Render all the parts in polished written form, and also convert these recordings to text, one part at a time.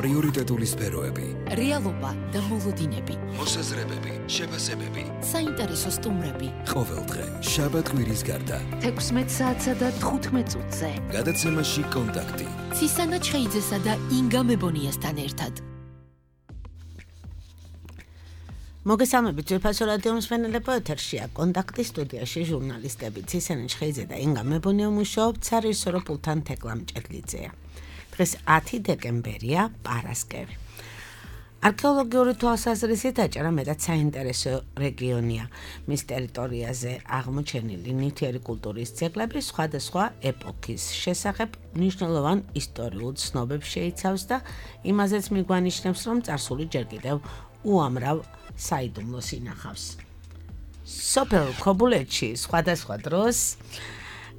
პრიორიტეტული სფეროები, რეალობა და მოლოდინები, მოსაზრებები, შეფასებები, საინტერესო სტუმრები. ყოველდღე, შაბათ-კვირის გარდა, 16 საათსა და 15 წუთზე. გადაცემაში კონტაქტი. ცისანა ჩხეიძესა და ინგა მებონიასთან ერთად. მოგესალმებით, ძვირფასო რადიო მსმენელებო, ეთერშია კონტაქტი, სტუდიაში ჟურნალისტები ცისანა ჩხეიძე და ინგა მებონია მუშაობთ სარისორო პულთან თეკლამ ჭედლიძეა. დღეს 10 დეკემბერია, პარასკევი. არქეოლოგიური თვალსაზრისით აჭარა მეტად საინტერესო რეგიონია. მის ტერიტორიაზე აღმოჩენილი ნივთიერი კულტურის ძეგლები სხვადასხვა ეპოქის შესახებ მნიშვნელოვან ისტორიულ ცნობებს შეიცავს და იმაზეც მიგვანიშნებს, რომ წარსული ჯერ კიდევ უამრავ საიდუმლოს ინახავს. სოფელ ქობულეთში სხვადასხვა დროს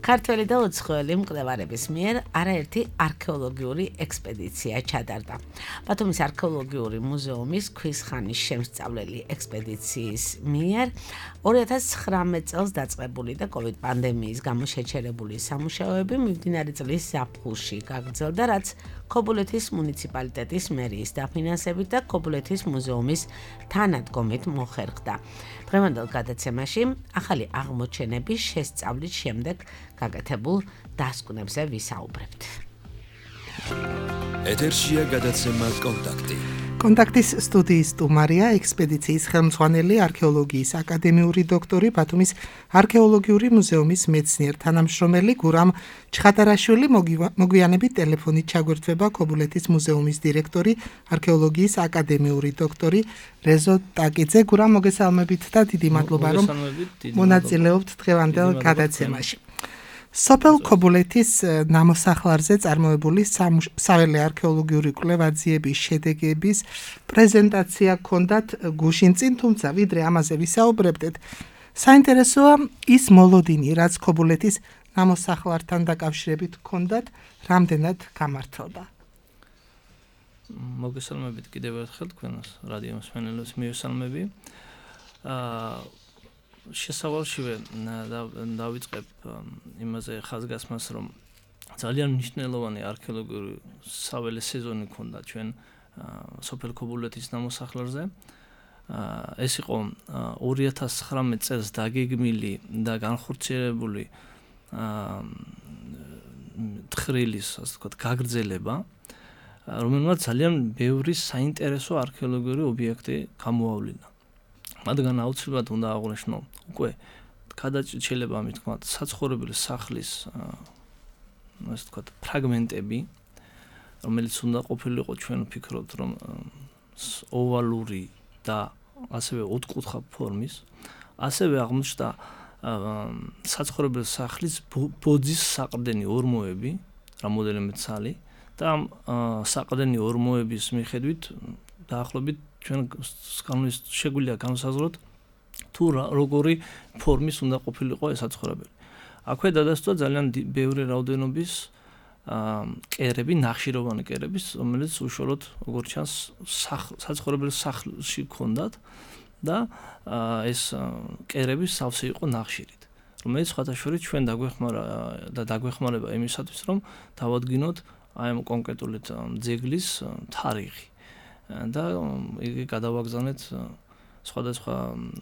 ქართველი და უცხოელი მკვლევარების მიერ არაერთი არქეოლოგიური ექსპედიცია ჩატარდა. ბათუმის არქეოლოგიური მუზეუმის ქვის ხანის შემსწავლელი ექსპედიციის მიერ 2019 წელს დაწყებული და COVID პანდემიის გამო შეჩერებული სამუშაოები მიმდინარე წლის ზაფხულში გაგრძელდა, რაც ქობულეთის მუნიციპალიტეტის მერიის დაფინანსებით და ქობულეთის მუზეუმის თანადგომით მოხერხდა. დღევანდელ გადაცემაში ახალი აღმოჩენების შესწავლის შემდეგ გაკეთებულ დასკვნებზე ვისაუბრებთ. ეთერშია გადაცემა კონტაქტი. კონტაქტის სტუდიის სტუმარია ექსპედიციის ხელმძღვანელი არქეოლოგიის აკადემიური დოქტორი ბათუმის არქეოლოგიური მუზეუმის მეცნიერ თანამშრომელი გურამ ჩხატარაშვილი. მოგვიანებით ტელეფონით ჩაგვერთვება ქობულეთის მუზეუმის დირექტორი არქეოლოგიის აკადემიური დოქტორი რეზო ტაკიძე. გურამ, მოგესალმებით და დიდი მადლობა, რომ მონაწილეობთ დღევანდელ გადაცემაში. სოფელ ქობულეთის ნამოსახლარზე წარმოებული საველე არქეოლოგიური კვლევა-ძიების შედეგების პრეზენტაცია ჰქონდათ გუშინ წინ, თუმცა ვიდრე ამაზე ვისაუბრებდეთ, საინტერესოა ის მოლოდინი, რაც ქობულეთის ნამოსახლართან დაკავშირებით ჰქონდათ, რამდენად გამართლდა. მოგესალმებით კიდევ ერთხელ თქვენს რადიო მსმენელებს მივესალმები. შესავალშივე დავიწყებ იმაზე ხაზგასმას, რომ ძალიან მნიშვნელოვანი არქეოლოგიური საველე სეზონი ჰქონდა ჩვენ სოფელ ქობულეთის ნამოსახლარზე. ეს იყო 2019 წელს დაგეგმილი და განხორციელებული თხრილის, ასე ვთქვათ, გაგრძელება, რომელმაც ძალიან ბევრი საინტერესო არქეოლოგიური ობიექტი გამოავლინა. მათგან აუცილებლად უნდა აღვნიშნო უკვე გადაჭრილება, ამით თქვა, საცხოვრებელი სახლის ასე ვთქვათ, ფრაგმენტები, რომელიც უნდა ყოფილიყო, ჩვენ ვფიქრობთ, რომ ოვალური და ასევე ოთხკუთხა ფორმის. ასევე აღმოჩნდა საცხოვრებელი სახლის ბოძის საყრდენი ორმოები, რამოდენიმე ცალი და ამ საყრდენი ორმოების მიხედვით დაახლოებით ჩვენ შეგვიძლია განვსაზღვროთ თუ როგორი ფორმის უნდა ყოფილიყო ეს საცხოვრებელი. აქვე დადასტურა ძალიან ბევრი რაოდენობის კერები, ნახშიროვანი კერები, რომელიც უშუალოდ როგორც ჩანს საცხოვრებელი სახლში ჰქონდათ და ეს კერები სავსე იყო ნახშირით, რომელიც სხვათაშორის ჩვენ დაგვეხმარება იმისათვის, რომ დავადგინოთ აი ამ კონკრეტული ძეგლის თარიღი და იგი გადავაგზავნეთ სხვადასხვა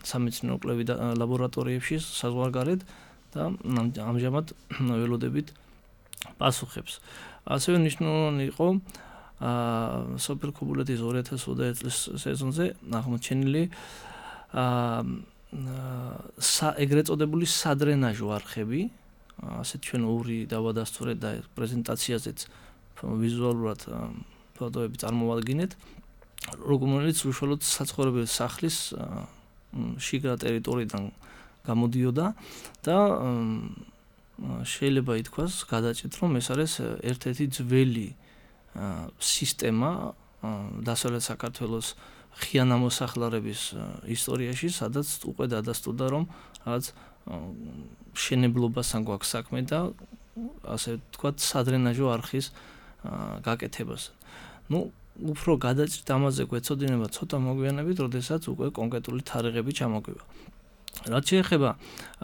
სამეცნიერო კვლევით ლაბორატორიებში საზღვარგარეთ და ამჟამად ველოდებით პასუხებს. ასევე მნიშვნელოვანი იყო სოფელ ქობულეთის 2021 წლის სეზონზე აღმოჩენილი ეგრეთ წოდებული სადრენაჟო არხები, ასეთ ჩვენ ორი დავადასტურეთ და პრეზენტაციაზეც ვიზუალურად ფოტოები წარმოვადგინეთ, რომელიც უშუალოდ საცხოვრებელი სახლის შიგა ტერიტორიიდან გამოდიოდა და შეიძლება ითქვას გადაჭრით, რომ ეს არის ერთ-ერთი ძველი სისტემა დასავლეთ საქართველოს ღია ნამოსახლარების ისტორიაში, სადაც უკვე დადასტურდა, რომ რაღაც შენებლობასთან გვაქვს საქმე და ასე ვთქვათ, სადრენაჟო არხის გაკეთებას. უფრო გადაჭრით ამაზე გვეცოდინება ცოტა მოგვიანებით, როდესაც უკვე კონკრეტული თარიღები ჩამოგვივა. რაც შეეხება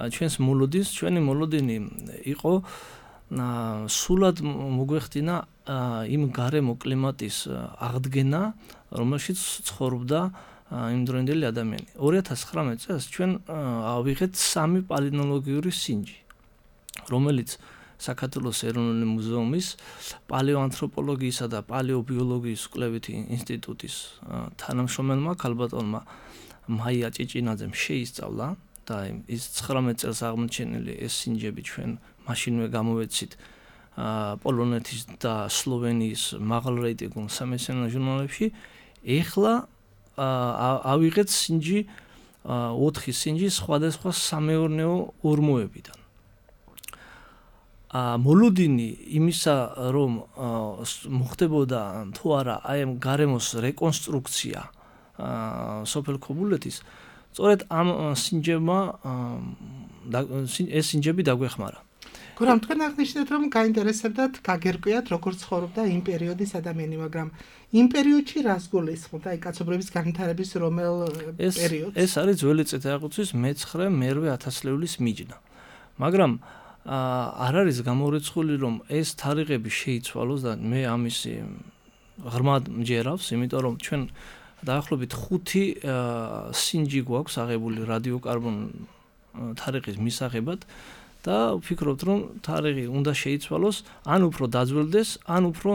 ჩვენს მოლოდინს, ჩვენი მოლოდინი იყო სულად მოგვეხდინა იმ გარემო კლიმატის აღდგენა, რომელშიც ცხოვრობდა იმ დროინდელი ადამიანი. 2019 წელს ჩვენ ავიღეთ 3 პალეონტოლოგიური სინჯი, რომელიც საქართველოს ეროვნული მუზეუმის პალეოანთროპოლოგიისა და პალეობიოლოგიის კვლევითი ინსტიტუტის თანამშრომელმა ქალბატონმა მაია ჭიჭინაძემ შეისწავლა და ის 19 წელს აღმოჩენილი ეს სინჯები ჩვენ მაშინვე გამოვეცით პოლონეთის და სლოვენიის მაღალრეიტინგულ სამეცნიერო ჟურნალებში. ეხლა ავიღეთ სინჯი 4 სინჯი სხვადასხვა სამეურნეო ორმოებიდან. მოლოდინი იმისა, რომ მოხდებოდა თუ არა აი ამ გარემოს რეკონსტრუქცია სოფელ ქობულეთის, სწორედ ამ სინჯებმა ეს სინჯები დაგვეხმარა. გურამ, თქვენ აღნიშნეთ, რომ გაინტერესებდათ გაგერკვიათ, როგორ ცხოვრობდა იმ პერიოდის ადამიანი, მაგრამ იმ პერიოდში რას გულისხმობთ? აი კაცობრიობის განვითარების რომელ პერიოდს? ეს არის ძველი წელთაღრიცხვის მე-9-მე 1000-ლეულის მიჯნა. მაგრამ არ არის გამორიცხული, რომ ეს თარიღები შეიცვალოს და მე ამისი ღრმად მჯერავს, იმიტომ რომ ჩვენ დაახლოებით 5 სინჯი გვაქვს აღებული რადიოკარბონ თარიღის მისაღებად და ვფიქრობთ, რომ თარიღი უნდა შეიცვალოს, ან უფრო დაძველდეს, ან უფრო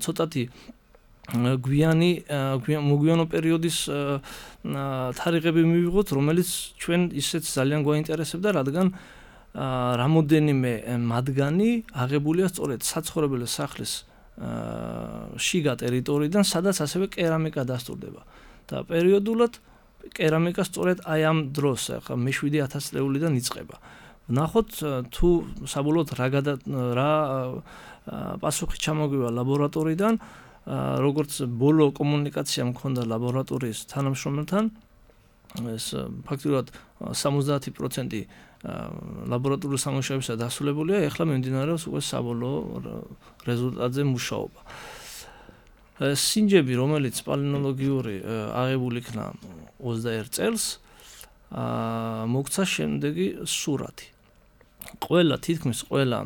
ცოტათი მოგვიანო პერიოდის თარიღები მივიღოთ, რომელიც ჩვენ ისეც ძალიან გვაინტერესებდა, რადგან რამოდენიმე მათგანი აღებულია სწორედ საცხოვრებელი სახლის შიგა ტერიტორიიდან, სადაც ასევე კერამიკა დასტურდება. და პერიოდულად კერამიკა სწორედ აი ამ დროს, ახლა მე-7 ლეულიდან იწყება. ვნახოთ თუ საბოლოოდ რა პასუხი ჩამოგვივა ლაბორატორიიდან, როგორც ბოლო კომუნიკაცია მქონდა ლაბორატორიის თანამშრომელთან, ეს ფაქტობრივად 70% ლაბორატორიული სამუშაოებისა დასრულებულია, ეხლა მიმდინარეობს უკვე საბოლოო რეზულტატზე მუშაობა. სინჯები, რომელიც პალეონტოლოგიური აღებული იქნა 21 წელს, მოგცა შემდეგი სურათი. თითქმის ყველა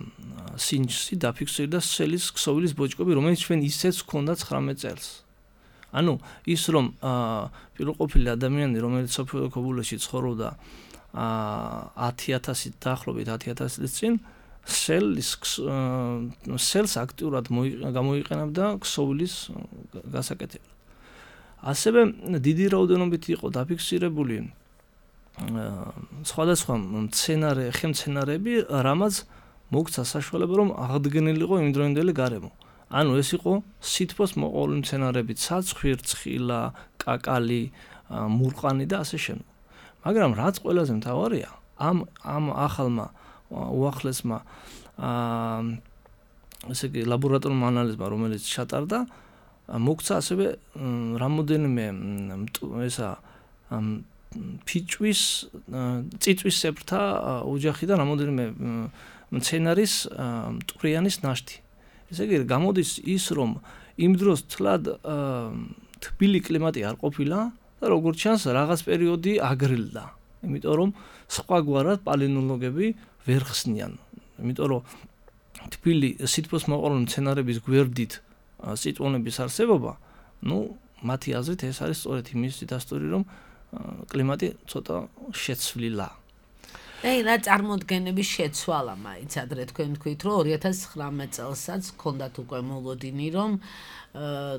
სინჯში დაფიქსირდა სელის ქსოვილის ბოჭკები, რომელიც ჩვენ ისეც ჰქონდა 19 წელს. ანუ ის რომ პირველყოფილი ადამიანი, რომელიც სოფელ ქობულეთში ცხოვრობდა 10,000 დაახლოებით 10,000 წლის წინ, სელს აქტიურად გამოიყენებდა ქსოვილის გასაკეთებლად. ასევე დიდი რაოდენობით იყო დაფიქსირებული სხვადასხვა ხემცენარეები, რამაც მოგცა საშუალება, რომ აღდგენილიყო იმდროინდელი გარემო. ანუ ეს იყო სითბოს მოყოლი მცენარეები, ცაცხვი, რცხილა, კაკალი, მურყანი და ასე შემდეგ. მაგრამ რაც ყველაზე მთავარია, ამ ახალმა უახლესმა ესე იგი ლაბორატორიულ ანალიზმა, რომელიც ჩატარდა, მოგცა ასევე რამოდენიმე წიწვისებრთა ოჯახი და რამოდენიმე მცენარის მტვრიანის ნაშთი. ესე იგი გამოდის ის, რომ იმ დროს თლად თბილი კლიმატი არ ყოფილა და როგორც ჩანს რაღაც პერიოდი აგრილდა. იმიტომ რომ სხვაგვარად პალეონტოლოგები ვერ ხსნიან. იმიტომ რომ თბილი სითბოს მოყოლი მცენარების გვერდით წიწვონების არსებობა, მათი აზრით ეს არის სწორედ იმის დასტური, რომ კლიმატი ცოტა შეცვლილა. რა წარმოდგენების შეცვალა მაინც ადრე თქვენ თქვით, რომ 2019 წელსაც ჰქონდათ უკვე მოლოდინი, რომ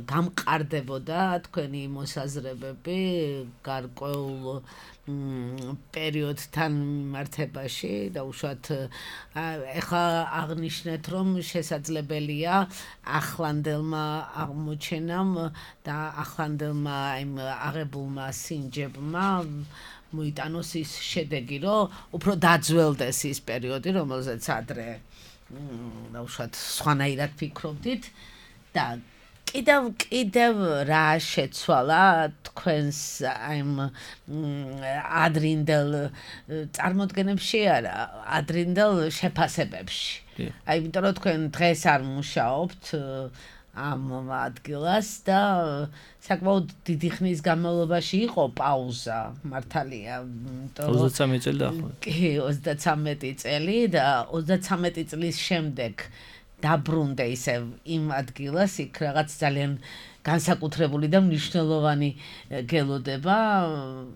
გამყარდებოდა თქვენი მოსაზრებები გარკვეულ პერიოდთან მიმართებაში და უშუალოდ ეხლა აღნიშნეთ, რომ შესაძლებელია ახლანდელმა აღმოჩენამ და ახლანდელმა იმ აღებულმა სინჯებმა მოიტანოს ის შედეგი, რომ უფრო დაძველდეს ის პერიოდი, რომელზეც ადრე უშუალოდ სხვანაირად ფიქრობდით და კიდევ რა შეცვალა თქვენს აიმ ადრინდელ წარმოდგენებში, არა, ადრინდელ შეფასებებში. აი, იმიტომ რომ თქვენ დღეს არ მუშაობთ ამ ადგილას და საკმაოდ დიდი ხნის განმავლობაში იყო პაუზა მართალია 33 წელი დაახლოებით. კი 33 წელი და 33 წლის შემდეგ დაბრუნდა ისევ იმ ადგილას იქ რაღაც ძალიან განსაკუთრებული და მნიშვნელოვანი გელოდება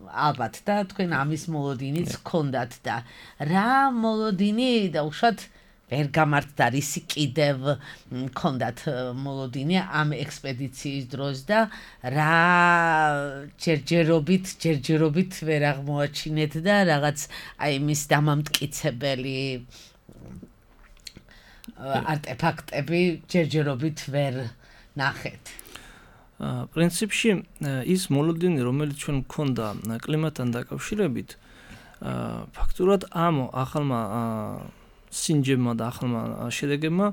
ალბათ და თქვენ ამის მოლოდინიც გქონდათ და რა მოლოდინი და უშუალოდ ვერ გამართდა რისი კიდევ გქონდათ მოლოდინი ამ ექსპედიციის დროს და რა ჯერჯერობით ვერ აღმოაჩინეთ და რაღაც აი მის დამამტკიცებელი არტეფაქტები ჯერჯერობით ვერ ნახეთ. პრინციპში ის მოლოდინი, რომელიც ჩვენ გქონდა კლიმატთან დაკავშირებით, ფაქტურად ამ ახალმა სინჯებმა და ახალმა შედეგებმა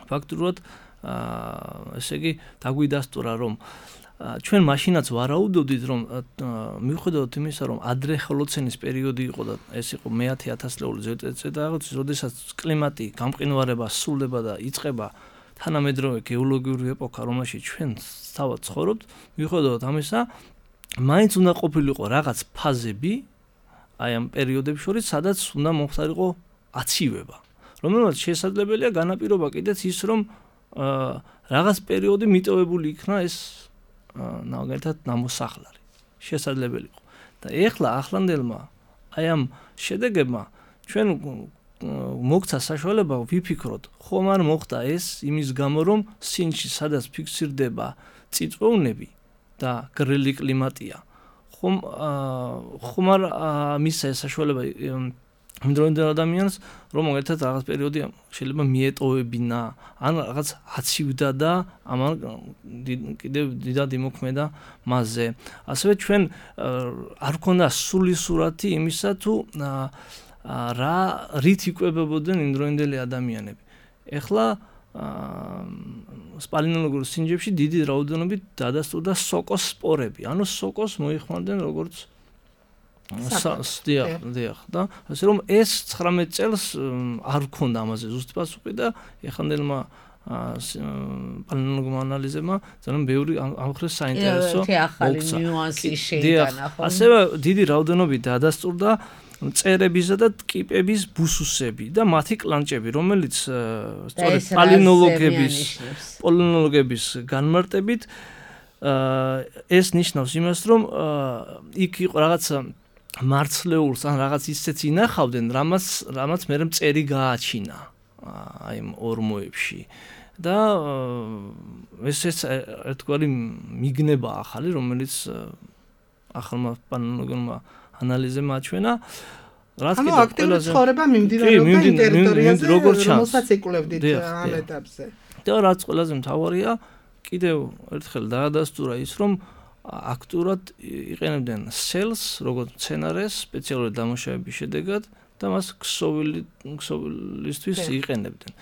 ფაქტურად ესე იგი დაგვიდასტურა, რომ ჩვენ მაშინაც ვარაუდობდით, რომ მიუხედავად იმისა, რომ ადრე ჰოლოცენის პერიოდი იყო და ეს იყო მე-10 ათასწლეული ზედმეტი, როდესაც კლიმატი გამყინვარება სრულდება და იწყება თანამედროვე გეოლოგიური ეპოქა, რომელშიც ჩვენ თავად ცხოვრობთ, მიუხედავად ამისა, მაინც უნდა ყოფილიყო რაღაც ფაზები აი ამ პერიოდებს შორის, სადაც უნდა მომხდარიყო აცივება, რომელმაც შესაძლებელია განაპირობა კიდეც ის, რომ რაღაც პერიოდი მიტოვებული იქნა ეს ნაგეთად ნამოსახლარი. შესაძლებელი იყო. და ეხლა ახლანდელმა აი ამ შედეგებმა ჩვენ მოგცა საშუალება ვიფიქროთ, ხომ არ მოხდა ეს იმის გამო, რომ სინჯში სადაც ფიქსირდება წიწვევნები და გრილი კლიმატია. ხომ არ მისცა ეს საშუალება იმდროინდელ ადამიანს, რომ მაგალითად რაღაც პერიოდი შეიძლება მიეტოვებინა, ან რაღაც აცივდა და ამან კიდევ დიდად იმოქმედა მასზე. ასევე ჩვენ არ გვქონდა სრული სურათი იმისა, თუ რით იკვებებოდნენ იმდროინდელი ადამიანები. ეხლა სპალენოლოგიურ სინჯებში დიდი რაოდენობით დადასტურდა სოკოს სპორები. ანუ სოკოს მოიხმარდნენ როგორც დიახ და ასე რომ ეს 19 წელს არ გქონდა ამაზე ზუსტი პასუხი და ეხანდელმა პალენოლოგმა ანალიზებმა ძალიან ბევრი ამხრივ საინტერესო მოგცა. ასევე დიდი რაოდენობით დადასტურდა მწერებისა და ტკიპების ბუსუსები და მათი კლანჭები, რომელიც სწორედ პალენოლოგების განმარტებით ეს ნიშნავს იმას, რომ იქ იყო რაღაც მარცლეულს ან რაღაც ისეც ინახავდნენ, რამაც მე მწერი გააჩინა აი ამ ორმოებში და ეს ერთგვარი მიგნება ახალი, რომელიც ახალმა პალენოლოგმა ანალიზებმა აჩვენა, რაც კიდევ აქტიური ცხოვრება მიმდინარეობდა იმ ტერიტორიაზე, რომელსაც იკვლევდით ამ ეტაპზე. და რაც ყველაზე მთავარია, კიდევ ერთხელ დაადასტურა ის, რომ აქტიურად იყენებდნენ სელს, როგორც მცენარეს სპეციალური დამუშავების შედეგად და მას ქსოვილისთვის იყენებდნენ.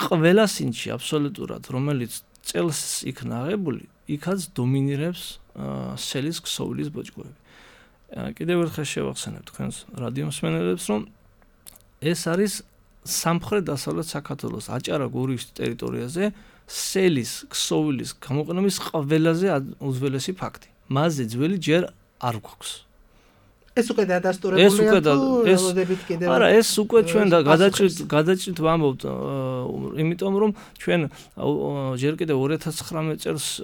ყველა სინჯში აბსოლუტურად, რომელიც წელს იქნა აღებული, იქაც დომინირებს სელის ქსოვილის ბოჭკოები. კიდევ ერთხელ შევახსენებ თქვენს რადიომსმენელებს, რომ ეს არის სამხრეთ-დასავლეთ საქართველოს აჭარა-გურიის ტერიტორიაზე სელის ქსოვილის გამოყენების ყველაზე უძველესი ფაქტი. მასზე ძველი ჯერ არ გვაქვს. ეს უკვე დადასტურებულია თუ ელოდებით კიდევ. არა, ეს უკვე ჩვენ გადაჭრით ვამბობთ, იმიტომ რომ ჩვენ ჯერ კიდევ 2019 წელს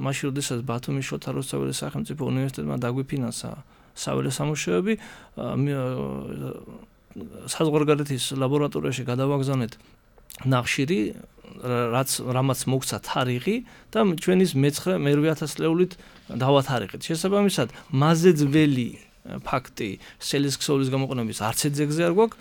მაშინ როდესაც ბათუმის შოთა რუსთაველის სახელმწიფო უნივერსიტეტმა დაგვიფინანსა საველე სამუშაოები, საზღვარგარეთის ლაბორატორიაში გადავაგზავნეთ ნახშირი, რამაც მოგცა თარიღი და ჩვენის მე-8 ათასწლეულით დავათარიღეთ. შესაბამისად, მასზე ძველი ფაქტი სელის ქსოვილის გამოყენების არც ძეგზე არ გვაქვს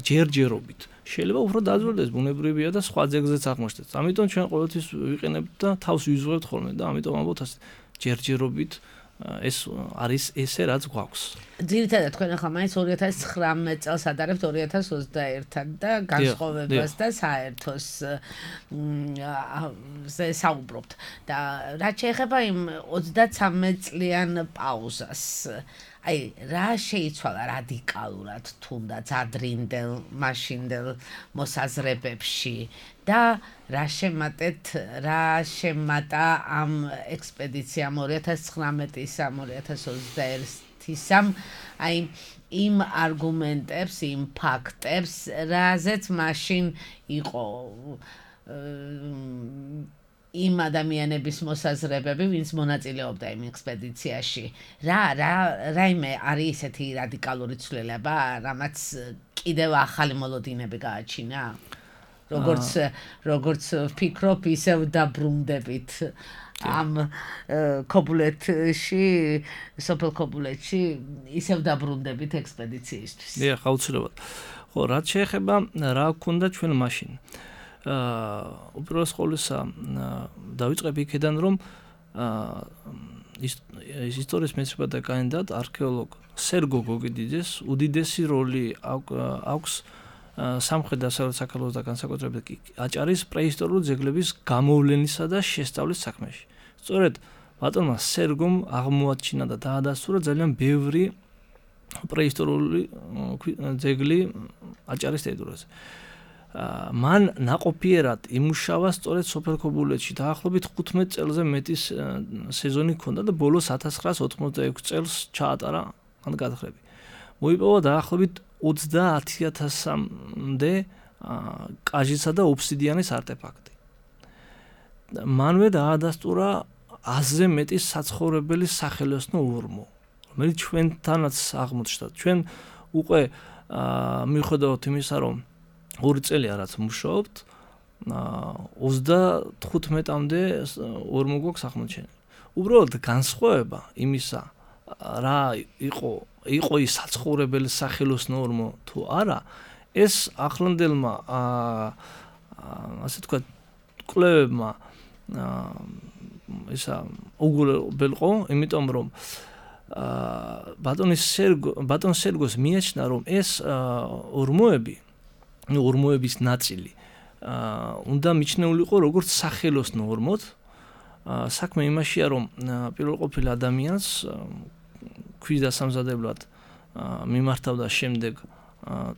ჯერჯერობით. შეიძლება უფრო დაძველდეს, ბუნებრივია და სხვა ძეგზეც აღმოჩნდეს. ამიტომ ჩვენ ყოველთვის ვიყენებთ და თავს ვიზღვევთ ხოლმე და ამიტომ ამბობთ ასე ჯერჯერობით ეს არის ესე რაც გვაქვს. ძირითადად თქვენ ახლა მაინც 2019 წელს ადარებთ 2021-თან და განსხვავებას და საერთოს საუბრობთ. და რაც შეეხება იმ 33 წლიან პაუზას, აი რა შეიცვალა რადიკალურად თუნდაც ადრინდელ მაშინდელ მოსაზრებებში და რა შემატა ამ ექსპედიციამ 2019-ის 2021-ისამ აი იმ არგუმენტებს, იმ ფაქტებს, რაზეც მაშინ იყო იმ ადამიანების მოსაზრებები, ვინც მონაწილეობდა იმ ექსპედიციაში. რაიმე არის ესეთი რადიკალური ცვლილება, რამაც კიდევ ახალი მოლოდინები გააჩინა? როგორც ვფიქრობ, ისევ დაბრუნდებით ამ ქობულეთში, სოფელ ქობულეთში, ისევ დაბრუნდებით ექსპედიციისთვის. დიახ, აუცილებლად. ხო, რაც შეეხება რა გქონდა ჩვენ მაშინ. უპირველეს ყოვლისა დავიწყებ იქიდან, რომ ისტორიის მეცნიერებათა კანდიდატ არქეოლოგ სერგო გოგიდიძეს უდიდესი როლი აქვს სამხრეთ-დასავლეთ საქართველოს და განსაკუთრებით აჭარის პრეისტორიული ძეგლების გამოვლენისა და შესწავლის საქმეში. სწორედ ბატონმა სერგომ აღმოაჩინა და დაადასტურა ძალიან ბევრი პრეისტორიული ძეგლი აჭარის ტერიტორიაზე. მან ნაყოფიერად იმუშავა სწორედ სოფელ ქობულეთში დაახლოებით 15 წელზე მეტი სეზონი ჰქონდა და ბოლოს 1986 წელს ჩაატარა ამ გათხრები. მოიპოვა დაახლოებით 30,000-მდე კაჟისა და ობსიდიანის არტეფაქტი. მანვე დაადასტურა 100-ზე მეტი საცხოვრებელი სახელოსნო ორმო, რომელიც ჩვენთანაც აღმოჩნდა. ჩვენ უკვე მიუხედავად იმისა, რომ 2 წელია რაც მუშაობთ, 35-მდე ორმო გვაქვს აღმოჩენილი. უბრალოდ განსხვავება იმისა, რა იყო ის საცხოვრებელი სახელოსნო ორმო თუ არა, ეს ახლანდელმა ასე თქვა კვლევებმა ისა უგულებელყო, იმიტომ რომ ბატონ სერგოს მიაჩნდა, რომ ეს ორმოების ნაწილი უნდა მიჩნეულიყო როგორც სახელოსნო ორმოთ. საქმე იმაშია, რომ პირველ ყოფილ ადამიანს ქვის დასამზადებლად მიმართავდა შემდეგ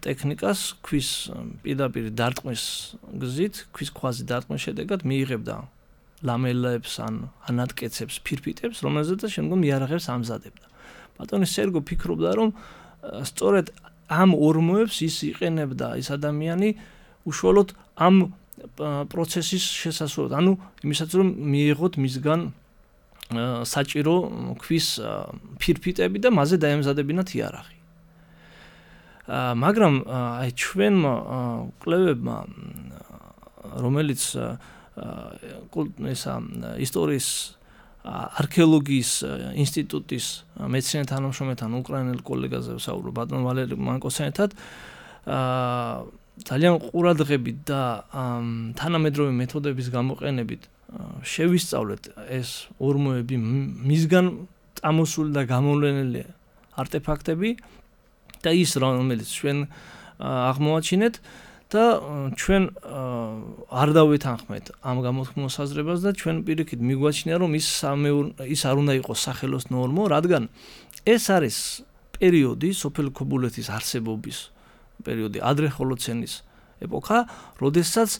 ტექნიკას, ქვის პირდაპირ დარტყმის გზით, ქვის ქვაზე დარტყმის შედეგად მიიღებდა ლამელებს ან ანატკეცებს, ფირფიტებს, რომელზეც შემდგომ იარაღებს ამზადებდა. ბატონი სერგო ფიქრობდა, რომ სწორედ ამ ორმოებს ის იყენებდა ის ადამიანი უშუალოდ ამ პროცესის შესასრულებლად, ანუ იმისაც რომ მიიღოთ მისგან საჭირო ქვის ფირფიტები და მასზე დაემზადებინათ იარაღი. მაგრამ აი ჩვენმა კვლევებმა, რომელიც ისტორიის არქეოლოგიის ინსტიტუტის მეცნიერ თანამშრომელთან უკრაინელ კოლეგაზე ვსაუბრობ ბატონ ვალერი მანკოსთან, ძალიან ყურადღებით და თანამედროვე მეთოდების გამოყენებით შევისწავლეთ ეს ორმოები, მისგან წამოსული და გამოვლენილი არტეფაქტები და ის რომელიც ჩვენ აღმოაჩინეთ და ჩვენ არ დავეთანხმეთ ამ გამოთქმის საზრებას და ჩვენ პირიქით მიგვაჩნია, რომ ის არ უნდა იყოს სახელოსნო ორმო, რადგან ეს არის პერიოდი, სოფელ ქობულეთის არსებობის პერიოდი, ადრე ჰოლოცენის ეპოქა, როდესაც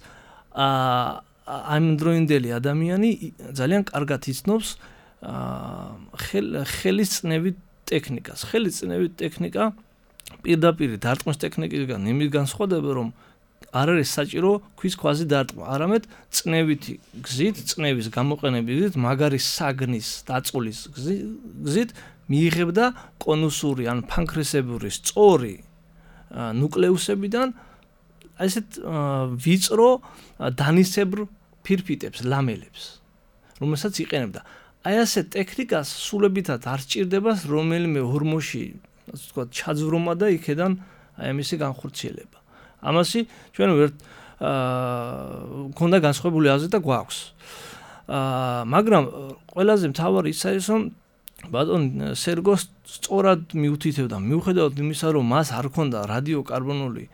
ამდროინდელი ადამიანი ძალიან კარგად იცნობს ხელისწნევით ტექნიკას. ხელისწნევით ტექნიკა პირდაპირ დარტყმის ტექნიკისგან იმით განსხვავდება, რომ არ არის საჭირო ქვის ქვაზე დარტყმა, არამედ წნევითი გზით, წნევის გამოყენების გზით, მაგარი საგნის დაწულის გზით მიიღებდა კონუსური ან ფანქრესებური სწორი ნუკლეუსებიდან ასეთ ვიწრო დანისებრ ფირფიტებს, ლამელებს, რომელსაც იყენებდა. აი ასეთ ტექნიკას სულებითად არ სჭირდება რომელიმე ორმოში, ასე ვთქვათ, ჩაძვრომა და იქედან აი ამისი განხორციელება. ამასი ჩვენ ვერ ქონდა განსხვავებული აზრი და გვაქვს. მაგრამ ყველაზე მთავარი ის არის, რომ ბატონ სერგო სწორად მიუთითებდა, მიუხედავად იმისა, რომ მას არ ქონდა რადიოკარბონული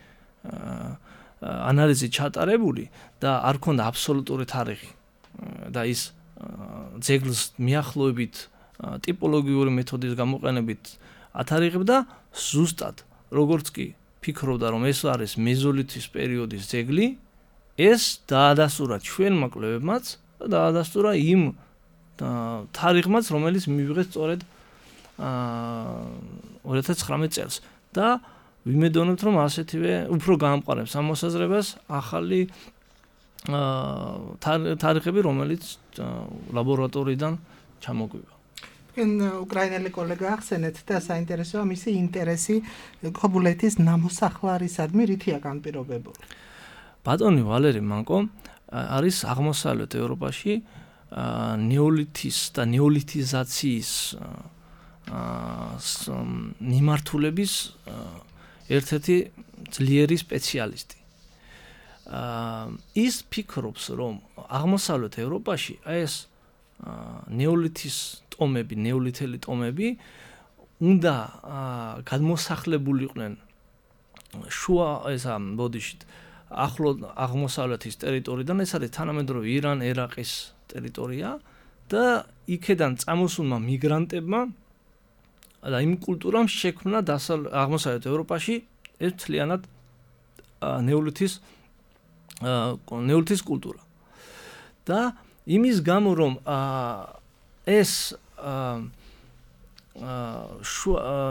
ანალიზი ჩატარებული და არ ქონდა აბსოლუტური თარიღი და ის ძეგლს მიახლოებით ტიპოლოგიური მეთოდის გამოყენებით ათარიღებდა ზუსტად როგორც კი ფიქრობდა რომ ეს არის მეზოლითის პერიოდის ძეგლი ეს დაადასტურა ჩვენმა კვლევებმაც და დაადასტურა იმ თარიღმაც რომელიც მივიღეს სწორედ 2019 წელს და ვიმედოვნებთ რომ ასეთივე უფრო გაამყარებს ამ მოსაზრებას ახალი თარიღები რომელიც ლაბორატორიიდან ჩამოგვივა უკრაინელი კოლეგა ახსენეთ და საინტერესოა მისი ინტერესი ქობულეთის ნამოსახლარისადმი რითია განპირობებული. ბატონი ვალერი მანკო არის აღმოსავლეთ ევროპაში ნეოლითის და ნეოლითიზაციის მიმართულების ერთ-ერთი ძლიერი სპეციალისტი. ის ფიქრობს რომ აღმოსავლეთ ევროპაში ეს ნეოლითის ტომები, ნეოლითელი ტომები უნდა გადმოსახლებულიყვნენ შუა ესა ბოდიშით ახლო აღმოსავლეთის ტერიტორიიდან ეს არის თანამედროვე ირან, ერაყის ტერიტორია და იქედან წამოსულმა მიგრანტებმა და იმ კულტურამ შექმნა აღმოსავლეთ ევროპაში ეს მთლიანად ნეოლითის კულტურა. და იმის გამო რომ ეს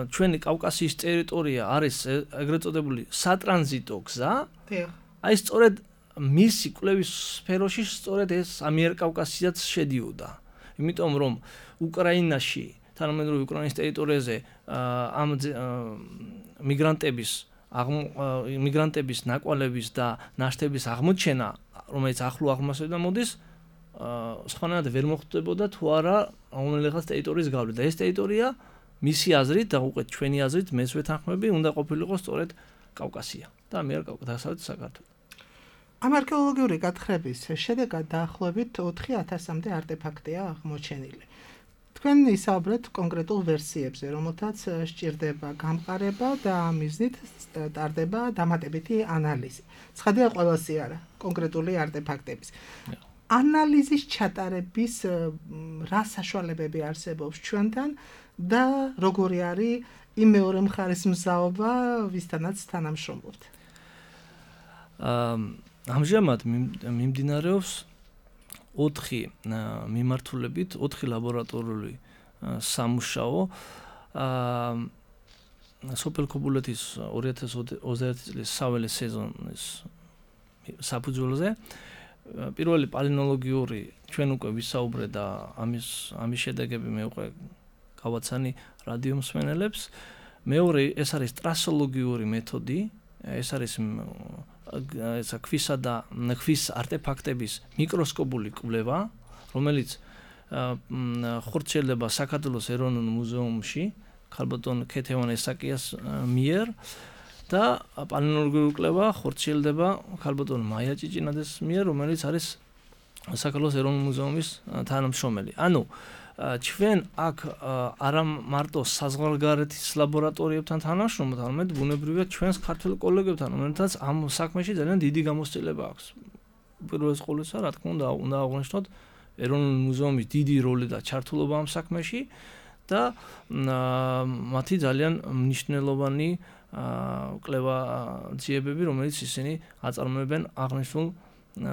ჩვენი კავკასიის ტერიტორია არის ეგრეთ წოდებული სატრანზიტო გზა. აი სწორედ მისი კვლევის სფეროში სწორედ ეს ამიერკავკასიაც შედიოდა. იმიტომ რომ უკრაინაში თანამედროვე უკრაინის ტერიტორიაზე ამ მიგრანტების ნაკვალების და ნაშთების აღმოჩენა, რომელიც ახლო აღმოსავლეთიდან მოდის, სხვანაირად ვერ მოხდებოდა თუ არა რომელიღაც ტერიტორიის გავლით. და ეს ტერიტორია მისი აზრით და უკვე ჩვენი აზრით მესვე თანხმები უნდა ყოფილიყო სწორედ კავკასია და დასავლეთ საქართველო. ამ არქეოლოგიური გათხრების შედეგად დაახლოებით 4000-მდე არტეფაქტია აღმოჩენილი. თქვენ ისაუბრეთ კონკრეტულ ვერსიებზე, რომელთაც სჭირდება გამყარება და მიზნით ტარდება დამატებითი ანალიზი. ცხადია ყველასი არა, კონკრეტული არტეფაქტების. ანალიზის ჩატარების რა საშუალებები არსებობს ჩვენთან და როგორი არის იმ მეორე მხარის მზაობა, ვისთანაც თანამშრომლობთ? ამჟამად მიმდინარეობს 4 მიმართულებით, 4 ლაბორატორიული სამუშაო სოფელ ქობულეთის 2021 წლის საველე სეზონის საფუძველზე. პირველი პალეონტოლოგიური ჩვენ უკვე ვისაუბრეთ და ამის შედეგები მე უკვე გავაცანი რადიო მსმენელებს. მეორე ეს არის ტრასოლოგიური მეთოდი, ეს არის ქვისა და ქვის არტეფაქტების მიკროსკოპული კვლევა, რომელიც ხორციელდება საქართველოს ეროვნულ მუზეუმში ქალბატონ ქეთევან ესაკიას მიერ და პალეონტოლოგიური კვლევა ხორციელდება ქალბატონ მაია ჭიჭინაძის მიერ, რომელიც არის საქართველოს ეროვნულ მუზეუმის თანამშრომელი. ანუ ჩვენ აქ არა მარტო საზღვარგარეთის ლაბორატორიებთან თანამშრომლობთ, არამედ ბუნებრივია ჩვენს ქართველ კოლეგებთან, რომელთაც ამ საქმეში ძალიან დიდი გამოცდილება აქვს. პირველს ყოვლისა, რა თქმა უნდა აღვნიშნოთ ეროვნული მუზეუმის დიდი როლი და ჩართულობა ამ საქმეში და მათი ძალიან მნიშვნელოვანი კვლევა ძიებები, რომელიც ისინი აწარმოებენ აღნიშნულ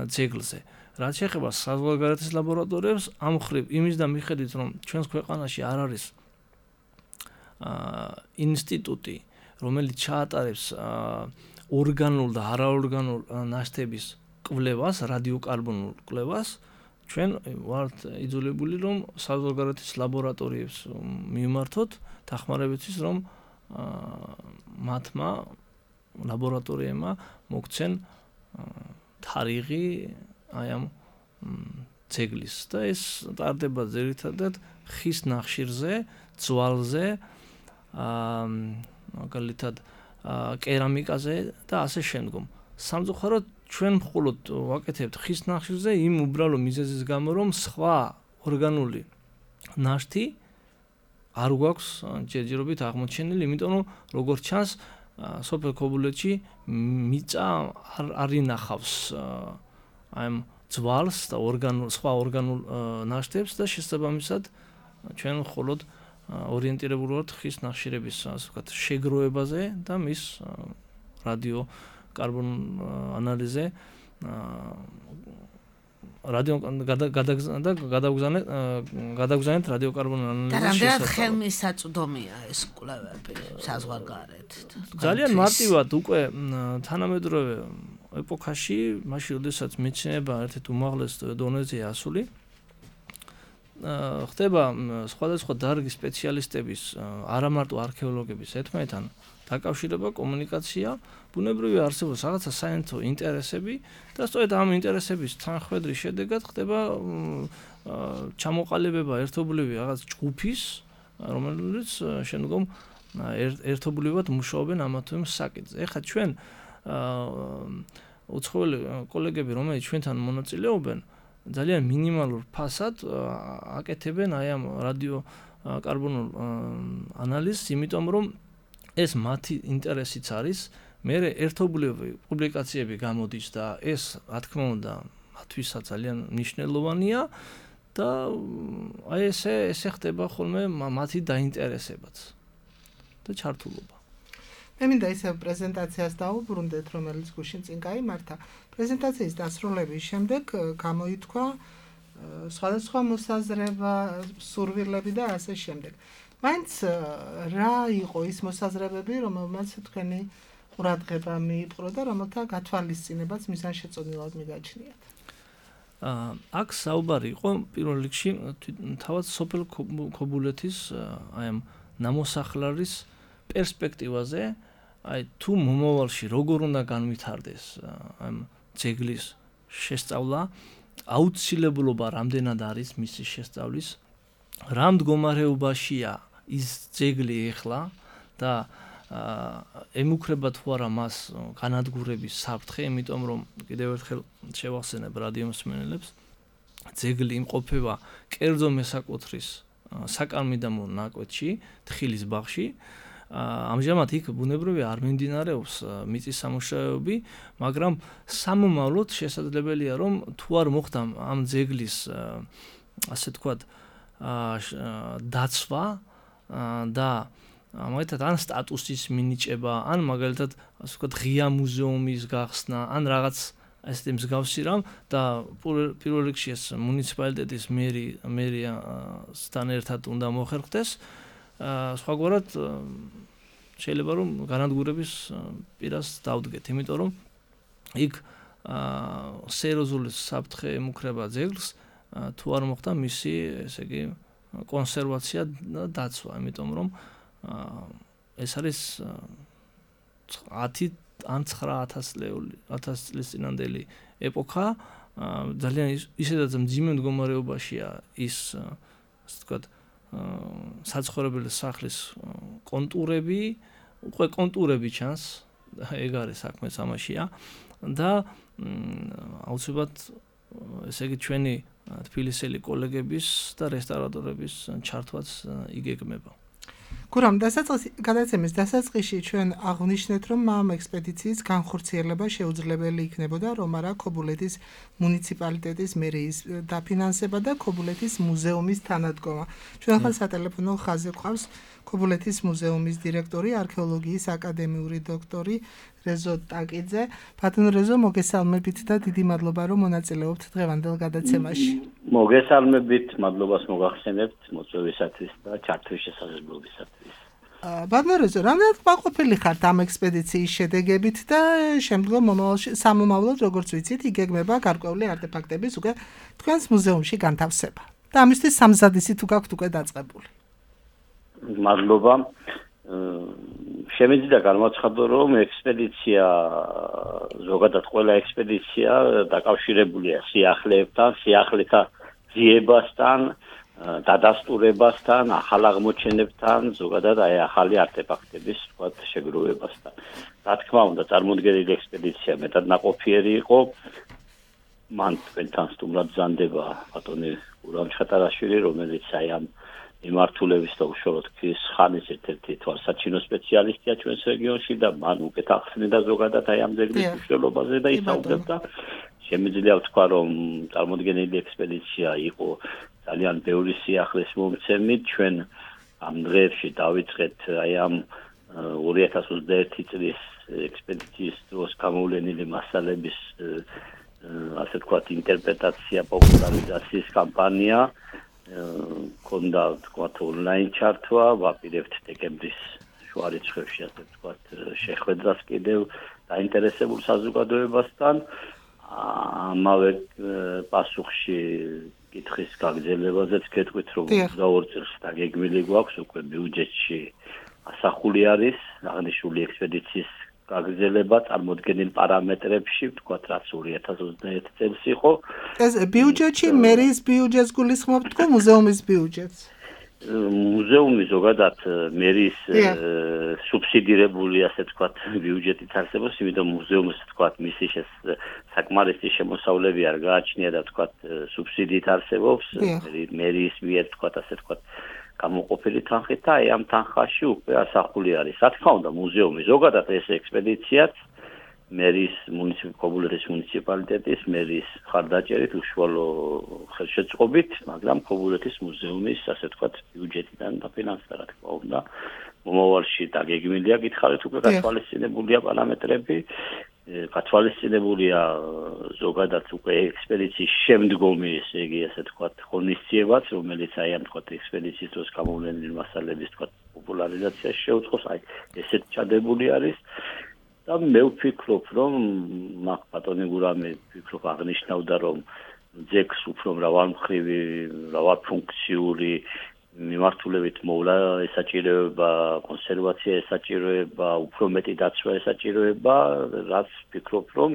ძეგლზე. რაც შეეხება საზღვარგარეთის ლაბორატორიებს, ამ მხრივ იმის და მიხედვით, რომ ჩვენს ქვეყანაში არ არის ინსტიტუტი, რომელიც ჩაატარებს ორგანულ და არაორგანულ ნაშთების კვლევას, რადიოკარბონულ კვლევას, ჩვენ ვართ იძულებული, რომ საზღვარგარეთის ლაბორატორიებს მივმართოთ, დახმარებისთვის, რომ მათმა ლაბორატორიებმა მოგცენ თარიღი აი ამ ძეგლის და ეს ტარდება ძირითადად ხის ნახშირზე, ძვალზე, მაგალითად კერამიკაზე და ასე შემდგომ. სამწუხაროდ ჩვენ მხოლოდ ვაკეთებთ ხის ნახშირზე იმ უბრალო მიზეზის გამო, რომ სხვა ორგანული ნაშთი არ გვაქვს ჯერჯერობით აღმოჩენილი, იმიტომ რომ როგორც ჩანს სოფელ ქობულეთში მიწა არ ინახავს ამ ძვალს და სხვა ორგანულ ნაშთებს და შესაბამისად ჩვენ მხოლოდ ორიენტირებული ვართ ხის ნახშირების ასე ვთქვათ შეგროვებაზე და მის რადიო კარბონ ანალიზზე რადიო გადაგზავნეთ რადიო კარბონ ანალიზის და რამდენად ხელმისაწვდომია ეს კვლევები საზღვარგარეთ ძალიან მარტივად უკვე თანამედროვე ეპოქაში მაშინ როდესაც მეცნიერება ერთ-ერთ უმაღლეს დონეზეა ასული ხდება სხვადასხვა დარგის სპეციალისტების არა მარტო არქეოლოგების ერთმანეთთან დაკავშირება კომუნიკაცია ბუნებრივი არსებობის რაღაცა საერთო ინტერესები და სწორედ ამ ინტერესების თანხმედრის შედეგად ხდება ჩამოყალიბება ერთობლივი რაღაც ჯგუფის რომელიც შემდგომ ერთობლივად მუშაობენ ამა თუ იმ საკითხზე. ეხლა ჩვენ უცხოელი კოლეგები რომლებიც ჩვენთან მონაწილეობენ ძალიან მინიმალურ ფასად აკეთებენ აი ამ რადიო კარბონულ ანალიზს, იმიტომ რომ ეს მათი ინტერესიც არის, მე ერთობლივი პუბლიკაციები გამოდის და ეს რა თქმა უნდა მათთვისაც ძალიან მნიშვნელოვანია და აი ესე ხდება ხოლმე მათი დაინტერესებაც და ჩართულობა. მე მინდა ისე პრეზენტაციას დავუბრუნდეთ, რომელიც გუშინ წინ გაიმართა. პრეზენტაციის დასრულების შემდეგ გამოითქვა სხვადასხვა მოსაზრება, სურვილები და ასე შემდეგ. მაინც რა იყო ის მოსაზრებები, რომელმაც თქვენი ყურადღება მიიპყრო და რომელთა გათვალისწინებაც მიზანშეწონილად მიგაჩნიათ? აქ საუბარი იყო პირველ რიგში თავად სოფელ ქობულეთის აი ამ ნამოსახლარის პერსპექტივაზე, აი თუ მომავალში როგორ უნდა განვითარდეს ამ ძეგლის შესწავლა, აუცილებლობა რამდენად არის მისი შესწავლის, რა მდგომარეობაშია ის ძეგლი ეხლა და ემუქრება თუ არა მას განადგურების საფრთხე, იმიტომ რომ კიდევ ერთხელ შევახსენებ რადიო მსმენელებს, ძეგლი იმყოფება კერძო მესაკუთრის საკალმიდამო ნაკვეთში, თხილის ბაღში. ამჟამად იქ ბუნებრივი არ მიმდინარეობს მიწის სამუშაოები, მაგრამ სამომავლოდ შესაძლებელია რომ თუ არ მოხდა ამ ძეგლის ასე თქვათ დაცვა და მაგალითად ან სტატუსის მინიჭება, ან მაგალითად ასე ვთქვათ ღია მუზეუმის გახსნა, ან რაღაც ასეთი მსგავსი რამ და პირველ რიგში ეს მუნიციპალიტეტის მერიასთან ერთად უნდა მოხერხდეს. სხვაგვარად შეიძლება რომ განადგურების პირას დავდგეთ, იმიტომ რომ იქ სერიოზული საფრთხე ემუქრება ძეგლს, თუ არ მოხდა მისი, ესე იგი, კონსერვაცია და დაცვა, იმიტომ რომ ეს არის 10 ან 9000 წლის წინანდელი ეპოქა, ძალიან ისედაც მძიმე მდგომარეობაშია ის, ასე ვთქვათ, საცხოვრებელი სახლის კონტურები, უკვე კონტურები ჩანს, ეგ არის საქმე ამაშია და აუცილებლად ესე იგი ჩვენი თბილისელი კოლეგების და რესტავრატორების ჩართვაც იგეგმება. გურამ, გადაცემის დასაწყისში ჩვენ აღვნიშნეთ, რომ ამ ექსპედიციის განხორციელება შეუძლებელი იქნებოდა, რომ არა ქობულეთის მუნიციპალიტეტის მერიის დაფინანსება და ქობულეთის მუზეუმის თანადგომა. ჩვენ ახლა სატელეფონო ხაზზე გვყავს ქობულეთის მუზეუმის დირექტორი, არქეოლოგიის აკადემიური დოქტორი რეზო ტაკიძე. ბატონო რეზო, მოგესალმებით და დიდი მადლობა, რომ მონაწილეობთ დღევანდელ გადაცემაში. მოგესალმებით, მადლობას მოგახსენებთ მოწვევისათვის და ჩართვის შესაძლებლობისათვის. ბატონო რეზო, რამდენად კმაყოფილი ხართ ამ ექსპედიციის შედეგებით და შემდგომ სამომავლოდ, როგორც ვიცით, იგეგმება გარკვეული არტეფაქტების უკვე თქვენს მუზეუმში განთავსება. და ამისთვის სამზადისი თუ გაქვთ უკვე დაწყებული. მადლობა. შემიძლია გამოცხადო, რომ ექსპედიცია, ზოგადად ყველა ექსპედიცია დაკავშირებულია სიახლეებთან, სიახლეთა ძიებასთან, დადასტურებასთან, ახალ აღმოჩენებთან, ზოგადად აი ახალი არტეფაქტების ვთქვათ შეგროვებასთან. რა თქმა უნდა, წარმოდგენილი ექსპედიცია მეტად ნაყოფიერი იყო. მან თქვენთან სტუმრად ბრძანდება ბატონი გურამ ჩხატარაშვილი, რომელიც აი ამ მიმართულების და უშუალოდ ხანის ერთ-ერთი თვალსაჩინო სპეციალისტია ჩვენს რეგიონში და მან უკეთ ახსნიდა ზოგადად აი ამ ძეგლის მნიშვნელობაზე და ისაუბრებდა. შემიძლია ვთქვა, რომ წარმოდგენილი ექსპედიცია იყო ძალიან ბევრი სიახლის მომცემი. ჩვენ ამ დღეებში დავიწყეთ აი ამ 2021 წლის ექსპედიციის დროს გამოვლენილი მასალების ასე ვთქვათ ინტერპრეტაცია, პოპულარიზაციის კამპანია, ქონდა ვთქვათ ონლაინ ჩართვა, ვაპირებთ დეკემბრის შუა რიცხვებში ასე ვთქვათ შეხვედრას კიდევ დაინტერესებულ საზოგადოებასთან. ამავე პასუხში კითხვის გაგრძელებაზეც გეტყვით, რომ 22 წელს დაგეგმილი გვაქვს უკვე ბიუჯეტში ასახული არის აღნიშნული ექსპედიციის გაგრძელება წარმოდგენილ პარამეტრებში, ვთქვათ, რაც 2021 წელს იყო. ეს ბიუჯეტში მერის ბიუჯეტს გულისხმობთ თუ მუზეუმის ბიუჯეტს? მუზეუმი ზოგადად მერის სუბსიდირებული, ასე ვთქვათ, ბიუჯეტით არსებობს, იმიტომ მუზეუმს ვთქვათ, მისი საკმარისი შემოსავლები არ გააჩნია და ვთქვათ, სუბსიდიით არსებობს, მერის მიერ ვთქვათ, ასე ვთქვათ, გამოყოფილი თანხით და აი ამ თანხაში უკვე ასახული არის. რა თქმა უნდა, მუზეუმი ზოგადად ეს ექსპედიციაც მერის ქობულეთის მუნიციპალიტეტის მერის ხარდაჭერით უშუალო ხელშეწყობით, მაგრამ ქობულეთის მუზეუმის ასე ვთქვათ ბიუჯეტიდან დაფინანსდა, რა თქმა უნდა. მომავალში დაგეგმილია გითხარით უკვე გათვალისწინებულია პარამეტრები, გათვალისწინებულია ზოგადად უკვე ექსპედიციის შემდგომი, ესე იგი ასე ვთქვათ, ღონისძიებაც, რომელიც აი ამ ვთქვათ ექსპედიციის დროს გამოვლენილი მასალების ვთქვათ პოპულარიზაციაში შეუწყოს, აი ესეც ჩადებული არის. და მე ვფიქრობ, რომ მაგ ბატონი გურამი ვფიქრობ აღნიშნავდა, რომ ძეგლს უფრო მრავალმხრივი, მრავალფუნქციური მიმართულებით მოვლა ესაჭიროება, კონსერვაცია ესაჭიროება, უფრო მეტი დაცვა ესაჭიროება, რაც ვფიქრობ, რომ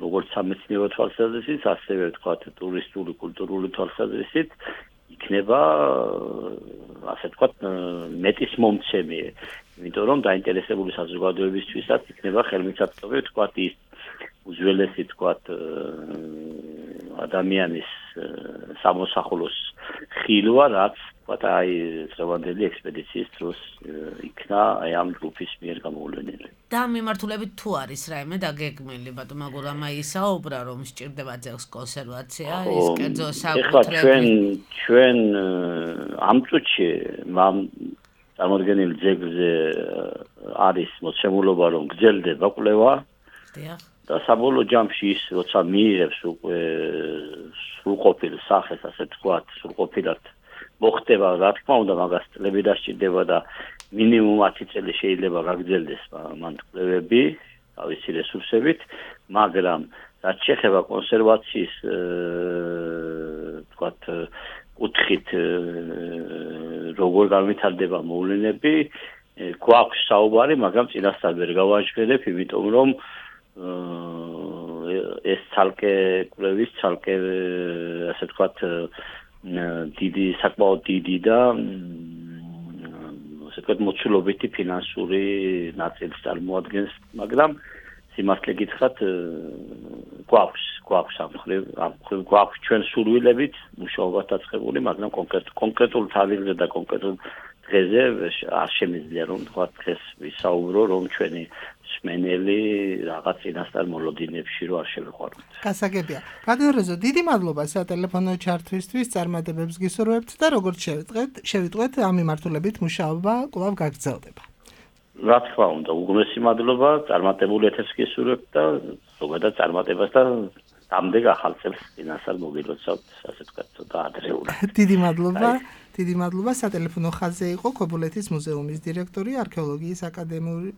როგორც სამეცნიერო თვალსაზრისით, ასევე ვთქვათ ტურისტული, კულტურული თვალსაზრისით იქნება ასე ვთქვათ მეტის მომცემი, იმიტომ რომ დაინტერესებული საზოგადოებისთვისაც იქნება ხელმისაწვდომი ვთქვათ ის უძველესი ვთქვათ ადამიანის სამოსახლოს ხილვა, რაც ვთქვათ აი წლევანდელი ექსპედიციის დროს იქნა აი ამ ჯგუფის მიერ გამოვლენილი. და მიმართულებით თუ არის რაიმე დაგეგმილი, ბატონო გურამა ისაუბრა, რომ სჭირდება ძეგლს კონსერვაცია, ის კერძო საკუთრებით. ჩვენ ამ წუთში წარმოდგენილ ძეგლზე არის მოცემულობა, რომ გრძელდება კვლევა. დიახ. და საბოლოო ჯამში ის როცა მიიღებს უკვე სრულყოფილ სახეს, ასე ვთქვათ, სრულყოფილად მოხდება, რა თქმა უნდა, მაგას წლები დასჭირდება და მინიმუმ 10 წელი შეიძლება გაგრძელდეს მან კვლევები თავისი რესურსებით, მაგრამ რაც შეეხება კონსერვაციის ვთქვათ კუთხით როგორ განვითარდება მოვლენები, გვაქვს საუბარი, მაგრამ წინასწარ ვერ გავაჟღერებ, იმიტომ რომ ეს ცალკე კვლევის, ცალკე ასე ვთქვათ დიდი, საკმაოდ დიდი და ასე ვთქვათ მოცულობითი ფინანსური ნაწილს წარმოადგენს, მაგრამ სიმართლე გითხრათ გვაქვს ამ მხრივ გვაქვს ჩვენ სურვილებით მუშაობა დაწყებული, მაგრამ კონკრეტულ თავზე და კონკრეტულ დღეზე არ შემიძლია რომ თქვათ დღეს ვისაუბრო, რომ ჩვენი სმენელი რაღაც წინასწარ მოლოდინებში რო არ შევეყვაროთ. გასაგებია. ბატონო რეზო, დიდი მადლობა სატელეფონო ჩართვისთვის, წარმატებებს გისურვებთ და როგორც შევიტყვეთ ამ მიმართულებით მუშაობა კვლავ გაგრძელდება. რა თქმა უნდა, უგმესი მადლობა, წარმატებული ეთერს გისურვებთ და ზოგადად წარმატებას და ამდენ ახალ წელს წინასწარ მოგილოცავთ, ასე ვთქვათ, ცოტა ადრეულად. დიდი მადლობა. სატელეფონო ხაზზე იყო ქობულეთის მუზეუმის დირექტორი, არქეოლოგიის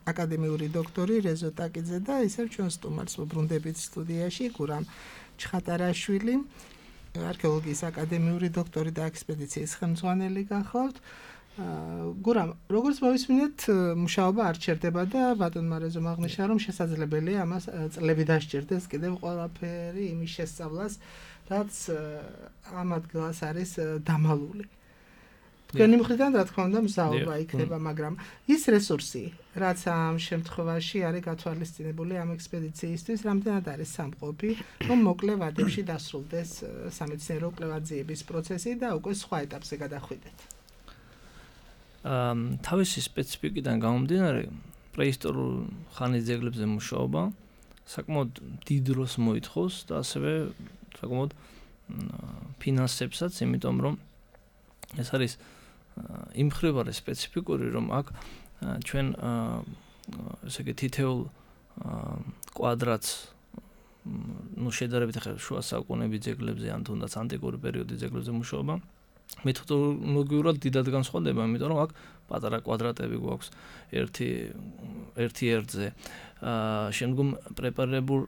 აკადემიური დოქტორი რეზო ტაკიძე და ისევ ჩვენ სტუმარს ვუბრუნდებით სტუდიაში გურამ ჩხატარაშვილი, არქეოლოგიის აკადემიური დოქტორი და ექსპედიციის ხელმძღვანელი გახლავთ. გურამ, როგორც მოვისმინეთ, მუშაობა არ ჩერდება და ბატონმა რეზომ აღნიშნა, რომ შესაძლებელია ამას წლები დასჭირდეს კიდევ ყველაფერი იმის შესწავლას, რაც ამ ადგილას არის დამალული. თქვენი მხრიდან რა თქმა უნდა მზაობა იქნება, მაგრამ ის რესურსი, რაც ამ შემთხვევაში არის გათვალისწინებული ამ ექსპედიციისთვის, რამდენად არის სამყოფი, რომ მოკლე ვადებში დასრულდეს სამეცნიერო კვლევაძიების პროცესი და უკვე სხვა ეტაპზე გადახვიდეთ. თავისი სპეციფიკიდან გამომდინარე, პრეისტორიულ ხანის ძეგლებზე მუშაობა საკმაოდ დიდ დროს მოითხოვს და ასევე საკმაოდ ფინანსებსაც, იმიტომ რომ ეს არის იმ მხრივ არის სპეციფიკური, რომ აქ ჩვენ ესე იგი თითოეულ კვადრატს შედარებით ახლა შუა საუკუნეების ძეგლებზე ან თუნდაც ანტიკური პერიოდის ძეგლებზე მუშაობა მეთოდოლოგიურად დიდად განსხვავდება, იმიტომ რომ აქ პატარა კვადრატები გვაქვს ერთი ერთზე. შემდგომ პრეპარებულ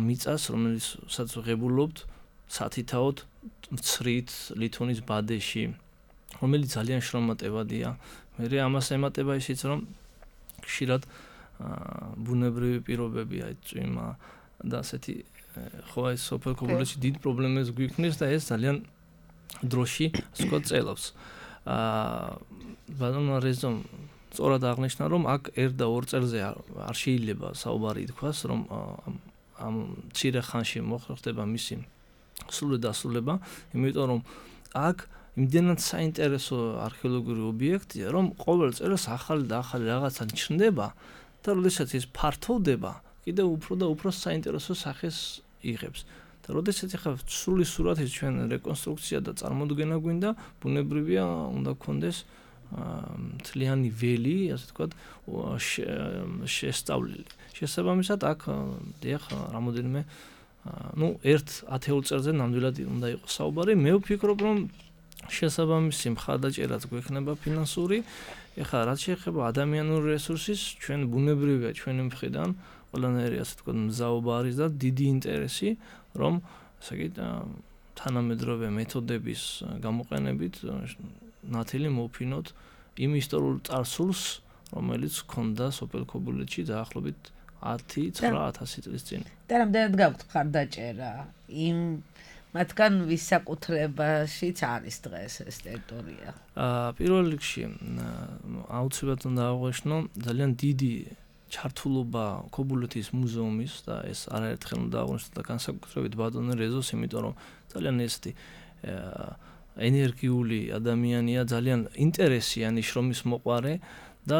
მიწას, რომელსაც ვღებულობთ სათითაოდ მცრით ლითონის ბადეში, რომელიც ძალიან შრომატევადია. მე ამას ემატება ისიც, რომ ხშირად ბუნებრივი პირობები, აი წვიმა და ასეთი ხო ეს სოფელ ქობულეთში დიდ პრობლემებს გვიქმნის და ეს ძალიან დროში სხვა წელავს. ბატონო რეზომ სწორად აღნიშნა, რომ აქ 1 და 2 წელზე არ შეიძლება საუბარი ითქვას, რომ ამ მცირე ხანში მოხდება მისი სრული დასრულება, იმიტომ რომ აქ იმდენად საინტერესო არქეოლოგიური ობიექტია, რომ ყოველ წელს ახალი და ახალი რაღაცა ჩნდება და როდესაც ის ფართოვდება, კიდევ უფრო და უფრო საინტერესო სახეს იღებს. და როდესაც ახლა სრული სურათის ჩვენ რეკონსტრუქცია და წარმოდგენა გვინდა, ბუნებრივია უნდა გქონდეს მთლიანი ველი, ასე ვთქვათ, შესწავლილი. შესაბამისად, აქ დიახ, რამოდენიმე ერთ 10 წელზე ნამდვილად უნდა იყოს საუბარი. მე ვფიქრობ, რომ შესაბამისი მხარდაჭერაც გვექნება ფინანსური. ეხლა რაც შეეხება ადამიანური რესურსის, ჩვენ ბუნებრივია ჩვენი მხრიდან ყველანაირი ასე ვთქვათ მზაობა არის და დიდი ინტერესი, რომ ასე იგი თანამედროვე მეთოდების გამოყენებით ნათელი მოვფინოთ იმ ისტორიულ წარსულს, რომელიც ჰქონდა სოფელ ქობულეთში დაახლოებით 10-9,000 წლის წინ. და რამდენად გაქვთ მხარდაჭერა იმ მათგან ვის საკუთრებაშიც არის დღეს ეს ტერიტორია? პირველ რიგში აუცილებლად უნდა აღვნიშნო ძალიან დიდი ჩართულობა ქობულეთის მუზეუმის და ეს არაერთხელ უნდა აღვნიშნო და განსაკუთრებით ბატონო რეზოს, იმიტომ რომ ძალიან ესეთი ენერგიული ადამიანია, ძალიან ინტერესიანი შრომის მოყვარე და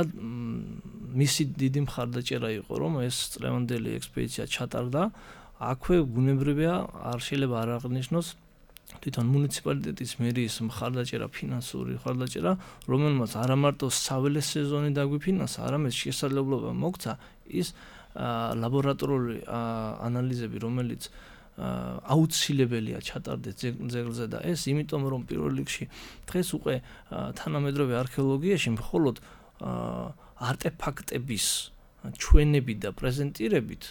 მისი დიდი მხარდაჭერა იყო, რომ ეს წლევანდელი ექსპედიცია ჩატარდა. აქვე ბუნებრივია არ შეიძლება არ აღნიშნოს თვითონ მუნიციპალიტეტის მერიის მხარდაჭერა, ფინანსური მხარდაჭერა, რომელმაც არა მარტო საველე სეზონი დაგვიფინანსა, არამედ შესაძლებლობა მოგცა ის ლაბორატორიული ანალიზები, რომელიც აუცილებელია ჩატარდეს ძეგლზე და ეს იმიტომ რომ პირველ რიგში დღეს უკვე თანამედროვე არქეოლოგიაში მხოლოდ არტეფაქტების ჩვენებით და პრეზენტირებით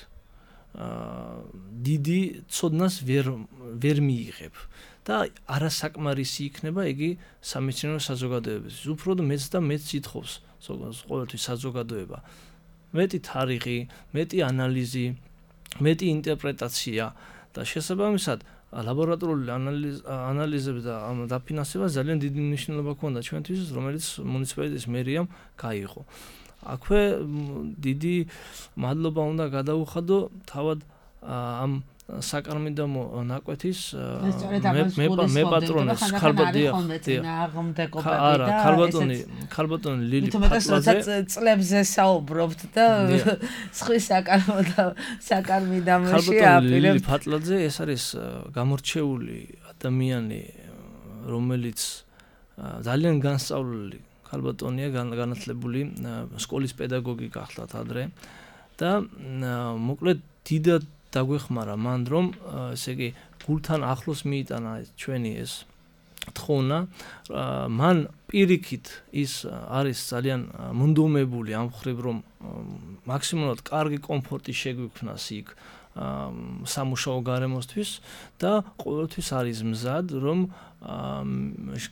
დიდი ცოდნას ვერ მიიღებ და არასაკმარისი იქნება იგი სამეცნიერო საზოგადოებისთვის. უფრო მეც და მეც ითხოვს ყოველთვის საზოგადოება მეტი თარიღი, მეტი ანალიზი, მეტი ინტერპრეტაცია და შესაბამისად ლაბორატორიული ანალიზები და ამ დაფინანსება ძალიან დიდი მნიშვნელობა ჰქონდა ჩვენთვის, რომელიც მუნიციპალიტეტის მერიამ გაიღო. აქვე დიდი მადლობა უნდა გადაუხადო თავად ამ საკარმიდამო ნაკვეთის მეპატრონეს ქალბატონი ლილი ფატლაძე წლებზე საუბრობთ და სხვი საკარმიდამოში აპირებთ. ლილი ფატლაძე ეს არის გამორჩეული ადამიანი, რომელიც ძალიან განსწავლული ქალბატონია, განათლებული სკოლის პედაგოგი გახლავთ ადრე და მოკლედ დიდად დაგვეხმარა მან, რომ ესე იგი გულთან ახლოს მიიტანა ჩვენი ეს თხოვნა. მან პირიქით ის არის ძალიან მონდომებული ამ ხრივ, რომ მაქსიმალურად კარგი კომფორტი შეგვიქმნას იქ სამუშაო გარემოსთვის და ყოველთვის არის მზად, რომ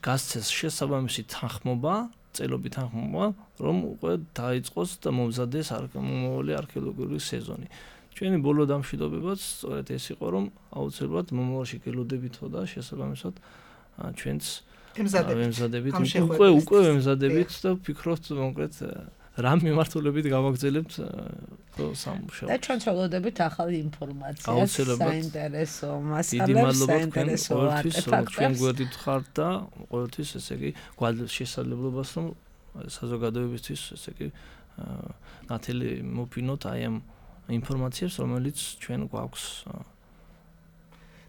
გასცეს შესაბამისი თანხმობა, წელობით თანხმობა, რომ უკვე დაიწყოს და მომზადდეს მომავალი არქეოლოგიური სეზონი. ჩვენი ბოლო დამშვიდობებაც სწორედ ეს იყო, რომ აუცილებლად მომავალში გელოდებითო და შესაბამისად ჩვენც ვემზადებით, უკვე ვემზადებით და ვფიქრობთ კონკრეტ რა მიმართულებით გავაგრძელებთ სამუშაოს. და ჩვენ ვცდილობთ ახალი ინფორმაციას, საინტერესო მასალებს, საინტერესო არტეფაქტებს. ჩვენ გვერდით ხართ და ყოველთვის ესე იგი გვაძლევს შესაძლებლობას, რომ საზოგადოებისთვის ესე იგი ნათელი მოფინოთ აი ამ ინფორმაციებს, რომელიც ჩვენ გვაქვს.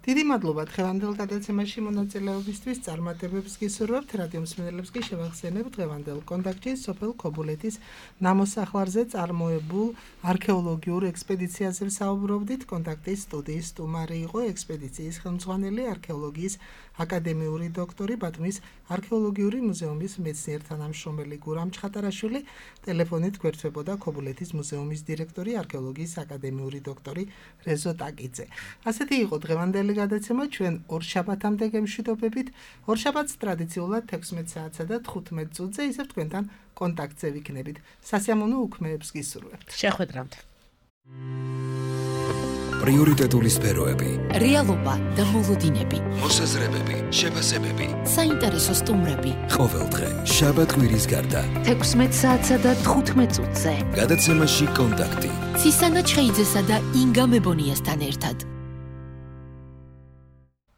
დიდი მადლობა დღევანდელ გადაცემაში მონაწილეობისთვის. წარმატებებს გისურვებთ. რადიო მსმენელებს კი შევახსენებ დღევანდელ კონტაქტში სოფელ ქობულეთის ნამოსახლარზე წარმოებულ არქეოლოგიურ ექსპედიციაზე საუბრობდით. კონტაქტის სტუდიის სტუმარი იყო ექსპედიციის ხელმძღვანელი არქეოლოგიის აკადემიური დოქტორი ბათუმის არქეოლოგიური მუზეუმის მეცნიერ-თანამშრომელი გურამ ჩხატარაშვილი. ტელეფონით გვერდთვებოდა ქობულეთის მუზეუმის დირექტორი არქეოლოგიის აკადემიური დოქტორი რეზო ტაკიძე. ასეთი იყო დღევანდელი გადაცემა. ჩვენ ორშაბათამდე გემშვიდობებით. ორშაბათს ტრადიციულად 16 საათსა და 15 წუთზე ისევ თქვენთან კონტაქტზე ვიქნებით. სასიამოვნო უქმეებს გისურვებთ. შეხვედრამდე. პრიორიტეტული სფეროები, რეალობა და მოლოდინები, მოსაზრებები, შეფასებები, საინტერესო სტუმრები. ყოველდღე შაბათ კვირის გარდა 16 საათსა და 15 წუთზე. გადაცემაში კონტაქტი. ცისანა ჩხეიძესა და ინგა მებონიასთან ერთად.